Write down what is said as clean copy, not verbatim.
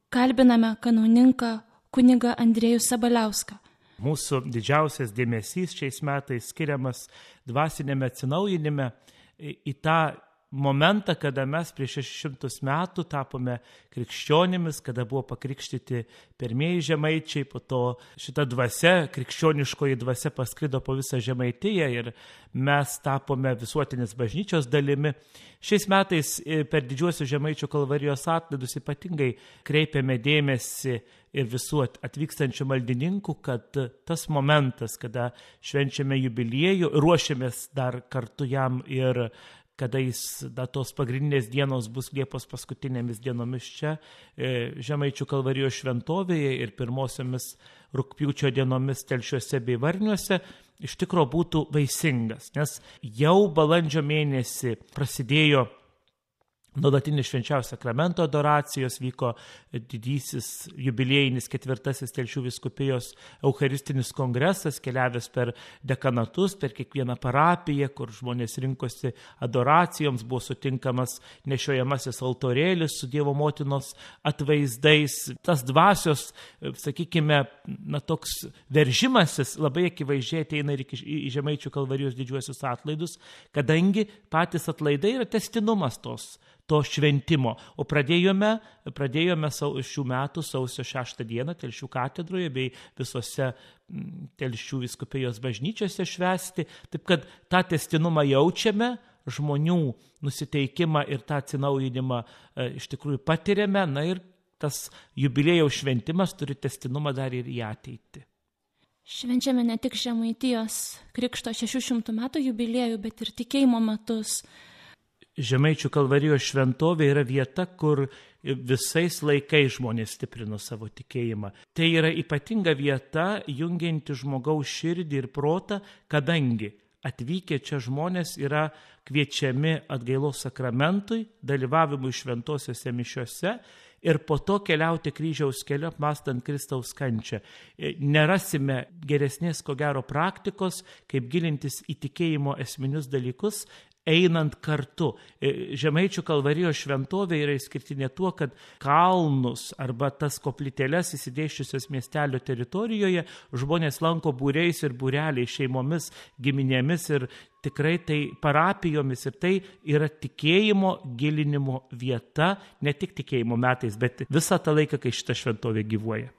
Kalbiname kanauninką kunigą Andriejų Sabaliauską. Mūsų didžiausias dėmesys šiais metais skiriamas dvasiniame atsinaujinime į tą momentą, kada mes prieš 600 metų tapome krikščionimis, kada buvo pakrikštyti pirmieji žemaičiai, po to šita dvasia, krikščioniškoji dvasia pasklido po visą Žemaitiją ir mes tapome visuotinės bažnyčios dalimi. Šiais metais per didžiuosius Žemaičių kalvarijos atlaidus ypatingai kreipiame dėmesį ir visų atvykstančių maldininkų, kad tas momentas, kada švenčiame jubiliejų, ruošiamės dar kartu jam ir kada tos pagrindinės dienos bus Liepos paskutinėmis dienomis čia, Žemaičių kalvarijos šventovėje ir pirmosiomis rugpjūčio dienomis Telšiuose bei Varniuose, iš tikro būtų vaisingas, nes jau balandžio mėnesį prasidėjo nuolatinis švenčiausio sakramento adoracijos, vyko didysis jubiliejinis 4. Telšių vyskupijos eucharistinis kongresas, keliavęs per dekanatus, per kiekvieną parapiją, kur žmonės rinkosi adoracijoms, buvo sutinkamas nešiojamasis altorėlis su Dievo motinos atvaizdais. Tas dvasios, sakykime, toks veržimasis labai akivaizdžiai ateina ir į Žemaičių kalvarijos didžiuosius atlaidus, kadangi patys atlaidai yra tęstinumas to šventimo. O pradėjome šių metų sausio 6 dieną Telšių katedroje bei visose Telšių vyskupijos bažnyčiose švęsti. Taip kad tą tęstinumą jaučiame, žmonių nusiteikimą ir tą atsinaujinimą iš tikrųjų patiriame. Na ir tas jubiliejaus šventimas turi tęstinumą dar ir į ateitį. Švenčiame ne tik Žemaitijos krikšto 600 metų jubiliejų, bet ir tikėjimo metus. Žemaičių kalvarijos šventovė yra vieta, kur visais laikais žmonės stiprino savo tikėjimą. Tai yra ypatinga vieta, jungianti žmogaus širdį ir protą, kadangi atvykę čia žmonės yra kviečiami atgailos sakramentui, dalyvavimui šventosiuose mišiuose ir po to keliauti kryžiaus keliu apmąstant Kristaus kančią. Nerasime geresnės, ko gero, praktikos, kaip gilintis į tikėjimo esminius dalykus, einant kartu. Žemaičių kalvarijos šventovė yra išskirtinė tuo, kad kalnus arba tas koplytėles įsidėsčiusios miestelio teritorijoje žmonės lanko būriais ir būreliais, šeimomis, giminėmis ir tikrai tai parapijomis. Ir tai yra tikėjimo gilinimo vieta, ne tik tikėjimo metais, bet visą tą laiką, kai šita šventovė gyvuoja.